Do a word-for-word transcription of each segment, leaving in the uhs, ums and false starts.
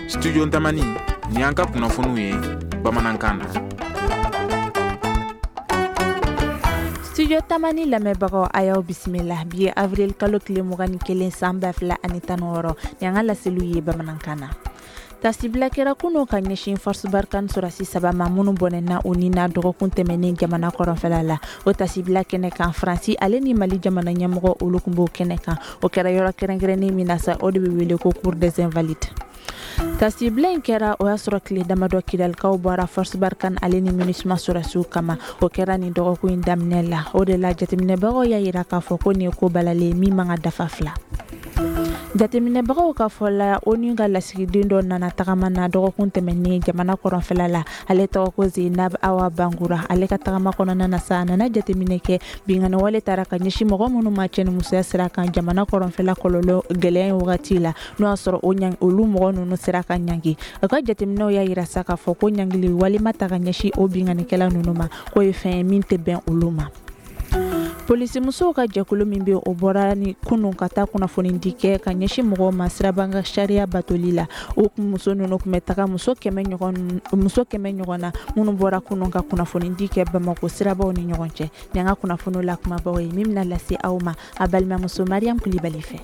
Studio Tamani, ni an ka kunnafoniw ye bamanankan na. Studio Tamani lamɛnbagaw, a y'aw bisimila. Bi ye avril kalo tile mugan ni kelen, san ba fila ani tan ni wɔɔrɔ. Ni an ka laseliw ye bamanankan na. Tasibila kɛra kunun ka ɲɛsin Force Barkhane sɔrɔsi saba ma, minnu bɔnɛna u ni na dɔgɔkun tɛmɛnen jamana kɔrɔnfɛla la. O tasibila kɛnɛ kan, Faransi ale ni Mali jamana ɲɛmɔgɔ, olu tun b'o kɛnɛ kan. O kɛra yɔrɔ kɛrɛnkɛrɛnnen min na sa, o de bɛ wele ko Cour des Invalides. Tasibila in kɛra, o y'a sɔrɔ tile damadɔ Kidalikaw bɔra Force Barkhane ale ni MINUSMA sɔrɔsiw kama. O kɛra nin dɔgɔkun in daminɛ la. O de la, jateminɛbagaw y'a yira k'a fɔ ko nin ye ko balalen min man ka dafa fila. Jateminɛbagaw ka fɔ la, ONU ka lasigiden dɔ nana tagama na dɔgɔkun tɛmɛnen jamana kɔrɔnfɛla la. Ale tɔgɔ ko Zenab Awa Bangura. Ale ka tagama kɔnɔna na sa, a nana jateminɛ kɛ binkanni wale taara ka ɲɛsin mɔgɔ minnu ma cɛnimusoya sira kan jamana kɔrɔnfɛla kɔlɔlɔ gɛlɛya in wagati la, n'o y'a sɔrɔ o ɲang olu mɔgɔ ninnu sera ka ɲangi. A ka jateminɛw y'a yira sa k'a fɔ ko ɲangili walima ta ka ɲɛsin o binkannikɛla ninnu ma, k'o ye fɛn ye min tɛ bɛn olu ma. Polisimusow ka jɛkulu min bɛ, o bɔra ni kunun ka taa kunnafonidi kɛ ka ɲɛsin mɔgɔw ma siraban ka sariya batoli la. O muso ninnu tun bɛ taga muso kɛmɛ ɲɔgɔn muso kɛmɛ ɲɔgɔn na, minnu bɔra kunun ka kunnafonidi kɛ Bamakɔ sirabaw ni ɲɔgɔn cɛ. Ni an ka kunnafoniw la kumabaw ye min bɛna lase aw ma a balimamuso Mariam Kulibali fɛ.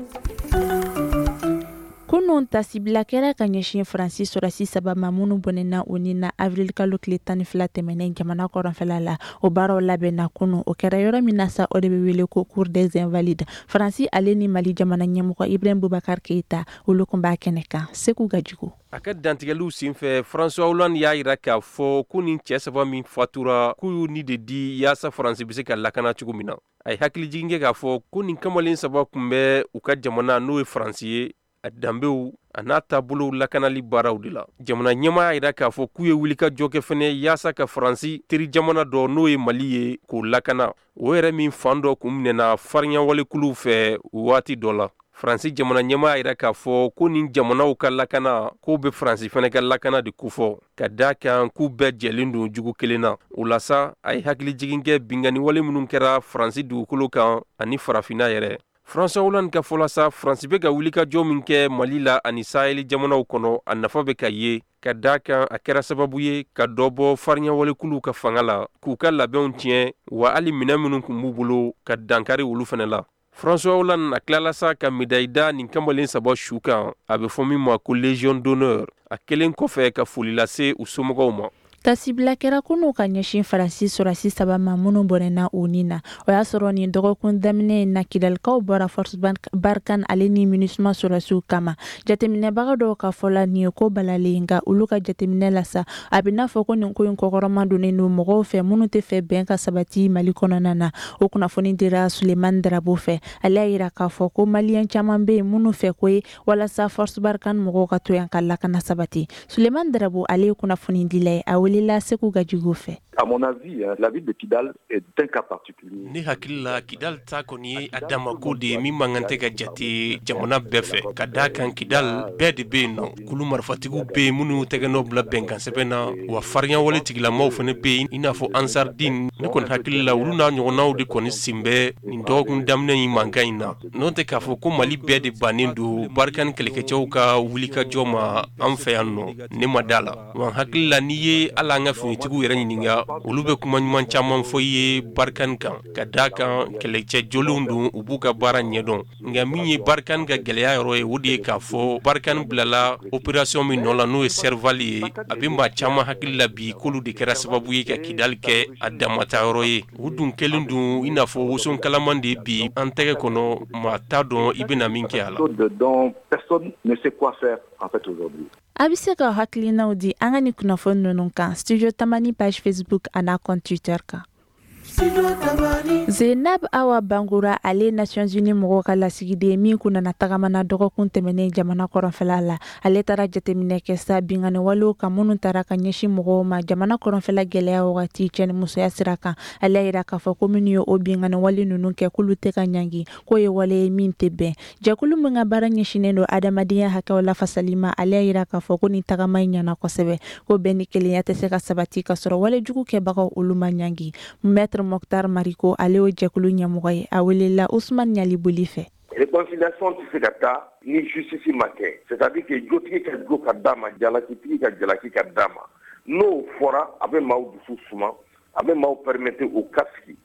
Kunun, tasibila kɛra ka ɲɛsin Faransi sɔrɔsi saba ma, minnu bɔnɛna u ni na avril kalo tile tan ni fila tɛmɛnen jamana kɔrɔnfɛla la. O baaraw labɛnna kunun. O kɛra yɔrɔ min na sa, o de bɛ wele ko Cour des Invalides. Faransi ale ni Mali jamana ɲɛmɔgɔ Ibrahim Boubacar Keïta, olu tun b'a kɛnɛ kan. Segu Gajugu. A ka dantigɛliw senfɛ, François Hollande y'a yira k'a fɔ ko nin cɛɛ saba min fatura, k'u y'u ni de di yaasa Faransi be se ka lakana cogo min na. A ye hakilijigin kɛ k'a fɔ ko nin kamalen saba tun bɛ u ka jamana, n'o ye Faransi ye, a danbew a n'a taabolow lakanali baaraw de la. Jamana ɲɛmaa y'a yira k'a fɔ k'u ye wulikajɔ kɛ fɛnɛ yaasa ka Faransi teri jamana dɔ, n'o ye Mali ye, k'o lakana, o yɛrɛ min fan dɔ kun minɛna fariɲawalekuluw fɛ waati dɔ la. Faransi jamana ɲɛmaa y'a yira k'a fɔ ko nin jamanaw ka lakana, k'o bɛ Faransi fɛnɛ ka lakana de kofɔ, ka daa kan k'u bɛɛ jɛlen don jugu kelen na. O la sa, a ye hakilijigin kɛ binkanni wale minnu kɛra Faransi dugukolo kan ani Farafinna yɛrɛ. François Hollande ka fɔla sa, Faransi bɛ ka wulikajɔ min kɛ Mali la ani Sahel jamanaw kɔnɔ, a nafa bɛ ka ye, ka daa kan a kɛra sababu ye ka dɔ bɔ fariɲawalekuluw ka fanga la, k'u ka labɛnw tiɲɛ, wa hali minɛn minnu tun b'u bolo, ka dankari olu fɛnɛ la. François Hollande a tilala sa ka médaille da nin kamalen saba su kan, a bɛ fɔ min ma ko Légion d'honneur, a kelen kɔfɛ ka foli lase u somɔgɔw ma. Tasibila kɛra kunun ka ɲɛsin Faransi sɔrɔsi saba ma, minnu bɔnɛna u ni na. O y'a sɔrɔ nin dɔgɔkun daminɛ in na, Kidalikaw bɔra Force Barkhane ale ni MINUSMA sɔrɔsiw kama. Jateminɛbaga dɔw ka fɔ la, nin ye ko balalen. Nka olu ka jateminɛ la sa, a bɛ n'a fɔ ko nin ko in kɔkɔrɔma donnen don mɔgɔw fɛ minnu tɛ fɛ bɛn ka sabati Mali kɔnɔna na. O kunnafoni dira Sulemani Darabo fɛ. Ale y'a yira k'a fɔ ko Maliyɛn caman bɛ yen minnu fɛ ko ye walasa Force Barkhane mɔgɔw ka to yan ka lakana sabati. Sulemani Darabo, ale ye kunnafonidila ye, a welela Segu Gajugu fɛ. À mon avis, la ville de Kidal est un cas particulier. Ne hakili la, Kidal ta kɔni ye a damako de ye min man kan tɛ ka jate jamana bɛɛ fɛ, ka d'a kan Kidal bɛɛ de bɛ yen nɔ. Kulu marifatigiw bɛ yen minnu tɛgɛ nɔ bila bɛnkan sɛbɛn na, wa farinya tigilamaw fana bɛ yen, i n'a fɔ Ansardine. Ne kɔni hakili la, olu n'a ɲɔgɔnnaw de kɔni sen bɛ nin dɔgɔkun daminɛ in mankan in na. N'o tɛ, k'a fɔ ko Mali bɛɛ de bannen don Barkhane kɛlɛkɛcɛw ka wulikajɔ ma an fɛ yan nɔ, ne ma da la. Wa n hakili la, n'i ye hali an ka finitigiw yɛrɛ ɲininka, olu bɛ kuma ɲuman caman fɔ i ye Barkhane kan, ka d'a kan kɛlɛcɛ jolenw don, u b'u ka baara ɲɛdɔn. Nka min ye Barkhane ka gɛlɛya yɔrɔ ye, o de ye k'a fɔ Barkhane bilala opération min nɔ la, n'o ye Serval ye, a bɛ maa caman hakili la bi k'olu de kɛra sababu ye ka Kidali kɛ a damata yɔrɔ ye. U dun kɛlen don i n'a fɔ woson kalaman de bi an tɛgɛ kɔnɔ, maa t'a dɔn i bɛna min kɛ a la. Dont personne ne sait quoi faire en fait aujourd'hui. A bɛ se ka hakilinaw di an ka nin kunnafoni ninnu kan Studio Tamani page Facebook a n'a compte Twitter kan. Zenab Awa Bangura, ale Nations Unies mɔgɔw ka lasigiden min kun nana tagama na dɔgɔkun tɛmɛnen jamana kɔrɔnfɛla la, ale taara jateminɛ kɛ sa binkanni walew kan minnu taara ka ɲɛsin mɔgɔw ma jamana kɔrɔnfɛla gɛlɛya wagati cɛ ni musoya sira kan. Ale y'a yira k'a fɔ ko minnu ye o binkanni wale ninnu kɛ, k'olu tɛ ka ɲangi, k'o ye wale ye min tɛ bɛn. Jɛkulu min ka baara ɲɛsinnen don adamadenya hakɛw lafasali ma, ale y'a yira k'a fɔ ko nin tagama in ɲɛna kosɛbɛ, ko bɛn ni kelenya tɛ se ka sabati ka sɔrɔ wale jugu kɛbagaw, olu ma ɲangi. Maître Mokhtar Mariko, ale y'o jɛkulu ɲɛmɔgɔ ye, a welela Usman Ɲaliboli fɛ. Réconciliation tɛ se ka taa ni justice ma kɛ, c'est à dire que jotigi ka jo ka d'a ma, jalakitigi ka jalaki ka d'a ma. N'o fɔra, a bɛ maaw dusu suma, a bɛ maaw permettre u ka sigi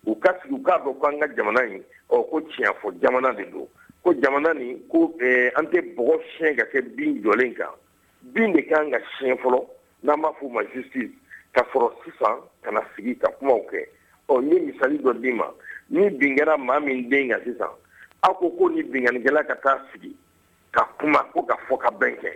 u ka sigi u k'a dɔn ko an ka jamana in, ɔ ko tiɲɛ fɔ jamana de don, ko jamana nin ko an tɛ bɔgɔ siɲɛ ka kɛ bin jɔlen kan, bin de kan ka siɲɛ fɔlɔ, n'an b'a f'o ma justice, ka sɔrɔ sisan ka na sigi ka kumaw kɛ. Ɔ n ye misali dɔ d'i ma, ni bin kɛra maa min den kan sisan, aw ko ko ni binkannikɛla ka taa sigi ka kuma ko ka fɔ ka bɛn kɛ,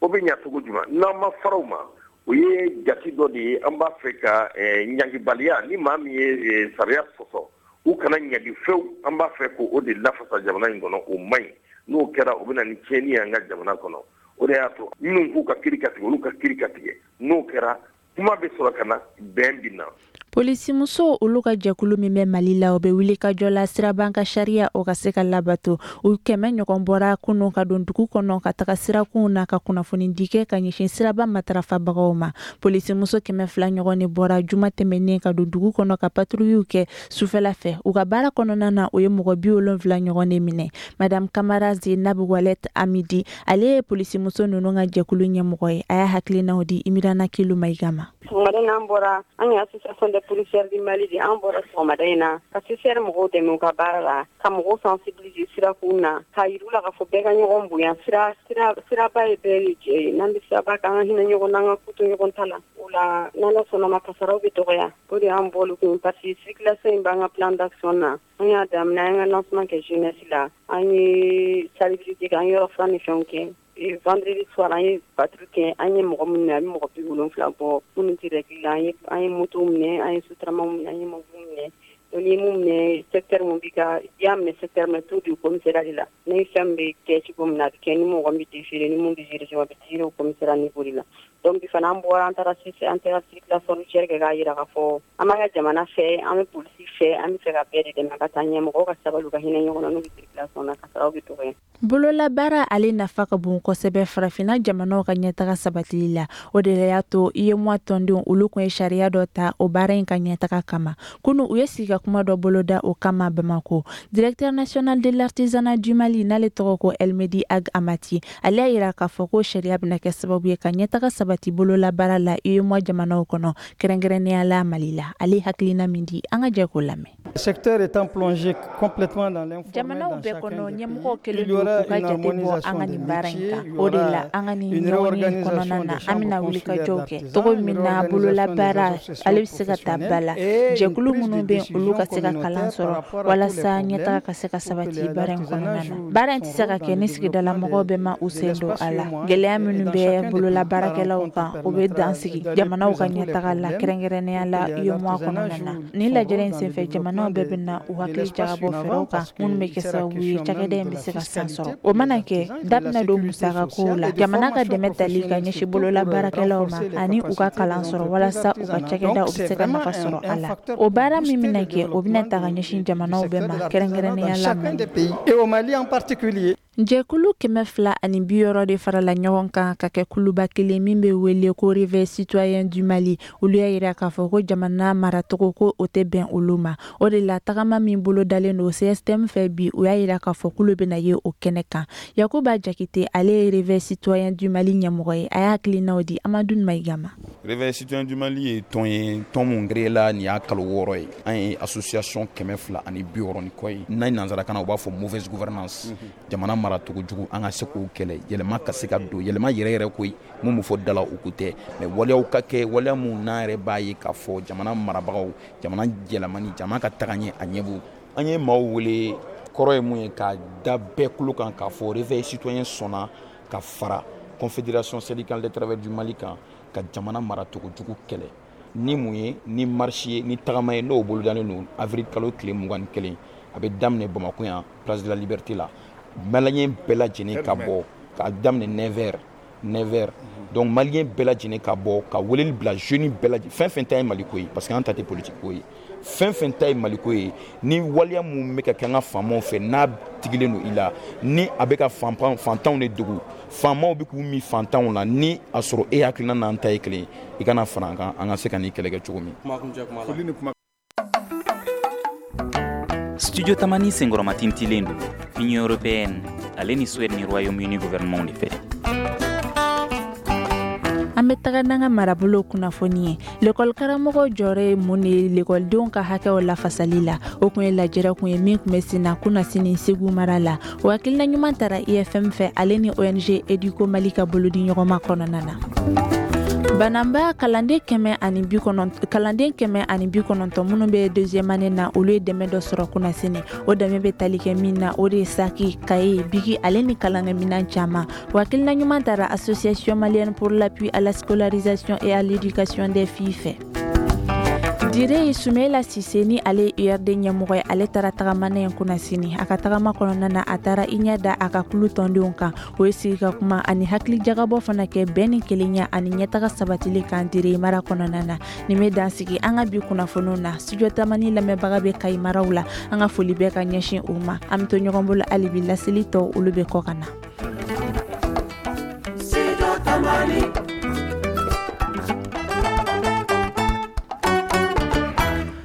o bɛ ɲɛ cogo jumɛn? N'an ma fara o ma, o ye jate dɔ de ye. An b'a fɛ ka ɲangibaliya, ni maa min ye sariya sɔsɔ, u kana ɲangi fewu. An b'a fɛ k'o de lafasa jamana in kɔnɔ, o man ɲi. N'o kɛra, o bɛ na ni tiɲɛni ye an ka jamana kɔnɔ. O de y'a to minnu k'u ka kiiri ka tigɛ, olu ka kiiri ka tigɛ. N'o kɛra, kuma bɛ sɔrɔ ka na, bɛn bɛ na. Polisimuso olu ka jɛkulu min bɛ Mali la, o bɛ wuli ka jɔ la siraban ka sariya o ka se ka labato. U kɛmɛ ɲɔgɔn bɔra kunun ka don dugu kɔnɔ ka taga sirakunw na ka kunnafoni di kɛ ka ɲɛsin siraba matarafabagaw ma. Polisimuso kɛmɛ fila ɲɔgɔn de bɔra juma tɛmɛnen ka don dugu kɔnɔ ka patrouillew kɛ sufɛla fɛ. U ka baara kɔnɔna na, o ye mɔgɔ bi wolonfila ɲɔgɔn de minɛ. Madame Kamara Zenabu Walet Amidi, ale ye polisimuso ninnu ka jɛkulu ɲɛmɔgɔ ye. A y'a hakilinaw di Imirana Kilu Mayiga ma. Sɔgɔmada in, an bɔra, an ye association des policières du Mali de, an bɔra sɔgɔmada in na ka C C R mɔgɔw dɛmɛ u ka baara la, ka mɔgɔw sensibiliser sirakun na, k'a yir'u la k'a fɔ bɛɛ ka ɲɔgɔn bonya. Sira sira siraba ye bɛɛ de jɛ ye. N'an bɛ siraba kan, an ka hinɛ ɲɔgɔn na, an ka ko to ɲɔgɔn ta la. O la, n'Ala sɔnna ma, kasaraw bɛ dɔgɔya. O de y'an bɔli kun, parce que circulation in b'an ka plan d'action na. An y'a daminɛ, an ka lancement kɛ jeunesse la, an ye salubrité kɛ, an ye yɔrɔ furan ni fɛnw kɛ. Vendredi soir, an ye patrouille kɛ, an ye mɔgɔ minnu minɛ, a bɛ mɔgɔ bi wolonfila bɔ minnu tɛ règle la. An ye an ye moto minɛ, an ye sotaramaw minɛ, an ye mobiliw minɛ. Donc ni ye mun minɛ, secteur mun b'i ka, i y'a minɛ secteur min, t'o di commissariat de la. Ni fɛn bɛ kɛ cogo min na, a bɛ kɛ. Ni mɔgɔ min bɛ déféré, ni mun bɛ a bɛ déféré o commissariat niveau de la. Donc bi fana, an bɔra, an taara an taara circulation routière kɛ, k'a jira k'a fɔ an b'an ka jamana fɛ, an bɛ polisi fɛ, an bɛ fɛ ka bɛɛ de dɛmɛ ka taa ɲɛ. Mɔgɔw ka sabali, u ka hinɛ ɲɔgɔn na n'u bɛ circulation na, kasaraw bɛ dɔgɔya. Bololabaara ale nafa ka bon kosɛbɛ farafinna jamanaw ka ɲɛtaga sabatili la. O de y'a to UEMOA tɔndenw olu kun ye sariya dɔ ta o baara in ka ɲɛtaga kama. Kunu, u ye sigi ka kuma dɔ boloda o kama Bamako. Directeur national de l'artisanat du Mali, n'ale tɔgɔ ko Elmedi Ag Amati, ale y'a yira k'a fɔ ko sariya bɛna kɛ sababu ye ka ɲɛtaga sabati bololabaara la UEMOA jamanaw kɔnɔ, kɛrɛnkɛrɛnnenya la Mali la. Ale hakilina min di, an ka jɛ k'o lamɛn. Secteur étant plongé complètement dans l'informel. Jamanaw bɛɛ kɔnɔ, ɲɛmɔgɔw kɛlen don k'u ka jate bɔ an ka nin baara in kan. O de la, an ka nin ɲɔgɔn kɔnɔna na, an bɛna wulikajɔw kɛ cogo min na bololabaara ale bɛ se ka ta ba la, jɛkulu minnu bɛ, olu ka se ka kalan sɔrɔ walasa ɲɛtaga ka se ka sabati baara in kɔnɔna na. Baara in tɛ se ka kɛ ni sigidala mɔgɔw bɛɛ ma u sen don a la. Gɛlɛya minnu bɛ bololabaarakɛlaw kan, o bɛ dan sigi jamanaw ka ɲɛtaga la, kɛrɛnkɛrɛnnenya la UEMOA kɔnɔna na. Nin lajɛrɛ in senfɛ, jamanaw bɛɛ bɛ na u hakili jagabɔ fɛɛrɛw kan minnu bɛ kɛ sababu ye cakɛda in bɛ se ka san sɔrɔ. O mana kɛ, da bɛna don musakakow la, jamana ka dɛmɛ tali ka ɲɛsin bololabaarakɛlaw ma ani u ka kalan sɔrɔ walasa u ka cakɛda u bɛ se ka nafa sɔrɔ a la. O baara min bɛna kɛ, o bɛna ta ka ɲɛsin jamanaw bɛɛ ma, kɛrɛnkɛrɛnnenya la Mali. Et au Mali en particulier. Jɛkulu kɛmɛ fila ani bi wɔɔrɔ de farala ɲɔgɔn kan ka kɛ kuluba kelen min bɛ wele ko Réveil citoyen du Mali. Olu y'a yira k'a fɔ ko jamana maracogo ko o tɛ bɛn olu ma. O de la, tagama min bolo dalen don C S T M fɛ bi, u y'a yira k'a fɔ k'olu bɛna ye o kɛnɛ kan. Yakuba Jakite, ale ye Réveil citoyen du Mali ɲɛmɔgɔ ye, a y'a hakilinaw di Amadu Mayiga ma. Réveil citoyen du Mali ye tɔn ye, tɔn mun créé la nin y'a kalo wɔɔrɔ ye. An ye association kɛmɛ fila ani bi wɔɔrɔ ni kɔ ye. N'a ye nanzarakan na, u b'a fɔ mauvaise gouvernance, jamana maracogo jugu. An ka se k'o kɛlɛ, yɛlɛma ka se ka don, yɛlɛma yɛrɛ yɛrɛ koyi. Mun bɛ fɔ da la, o ko tɛ, mais waleyaw ka kɛ, waleya mun n'an yɛrɛ b'a ye k'a fɔ jamana marabagaw, jamana yɛlɛmani, jamana ka taga ɲɛ, a ɲɛ b'u. An ye maaw wele, kɔrɔ ye mun ye, k'a da bɛɛ kulo kan k'a fɔ Réveil citoyen sɔnna ka fara Confédération syndicale des travailleurs du Mali kan ka jamana maracogo jugu kɛlɛ. Ni mun ye? Ni marche ye, ni tagama ye, n'o bolodalen don avril kalo tile mugan ni kelen. A bɛ daminɛ Bamakɔ yan, place de la Liberté la. Malien bɛɛ lajɛlen ka bɔ k'a daminɛ neuf heures, neuf heures. Donc malien bɛɛ lajɛlen ka bɔ, ka weleli bila jeune bɛɛ lajɛlen, fɛn fɛn ta ye Maliko ye, parce que an ta tɛ politique ko ye, fɛn fɛn ta ye Maliko ye. Ni waleya mun bɛ ka kɛ an ka faamaw fɛ, n'a tigilen don i la, ni a bɛ ka fantanw de degun, faamaw bɛ k'u min fantanw na, ni a sɔrɔ e hakilina n'an ta ye kelen, i kana fara an kan, an ka se ka nin kɛlɛ kɛ cogo min. Studio Tamani senkɔrɔmatintilen don Union européenne ale ni Suède ni Royaume-Uni gouvernement de fɛ. An bɛ taga n'an ka marabolo kunnafoni ye. Lekɔli karamɔgɔ jɔyɔrɔ ye mun de ye lekɔlidenw ka hakɛw lafasali la? O kun ye lajɛrɛ kun ye min kun bɛ sen na kunnasini Segu mara la. O hakilina ɲuman tara I F M fɛ, ale ni O N G Educo Mali ka bolodi ɲɔgɔnma kɔnɔna na. Bananba kalanden kɛmɛ ani bi kɔnɔntɔn kalanden kɛmɛ ani bi kɔnɔntɔn minnu bɛ deuxième année na, olu ye dɛmɛ dɔ sɔrɔ kunnasini. O dɛmɛ bɛ tali kɛ min na, o de ye saki, kaye, biki ale ni kalankɛminɛn caman. O hakilina ɲuman tara Association malienne pour l'appui à la scolarisation et à l'éducation des filles fɛ. Dire Sumela Sise ni ale ye U R D ɲɛmɔgɔ ye, ale taara tagamana in kunnasini. A ka tagama kɔnɔna na, a taara i ɲɛ da a ka kulu tɔndenw kan. O ye sigi ka kuma ani hakili jagabɔ fana kɛ bɛn ni kelenya ani ɲɛtaga sabatili kan Dire mara kɔnɔna na. Nin bɛ dan sigi an ka bi kunnafoniw na. Studio Tamani lamɛnbaga bɛ Kayi maraw la, an ka foli bɛɛ ka ɲɛsin u ma. An bɛ to ɲɔgɔn bolo hali bi, laseli tɔw, olu bɛ kɔ ka na. Tamani.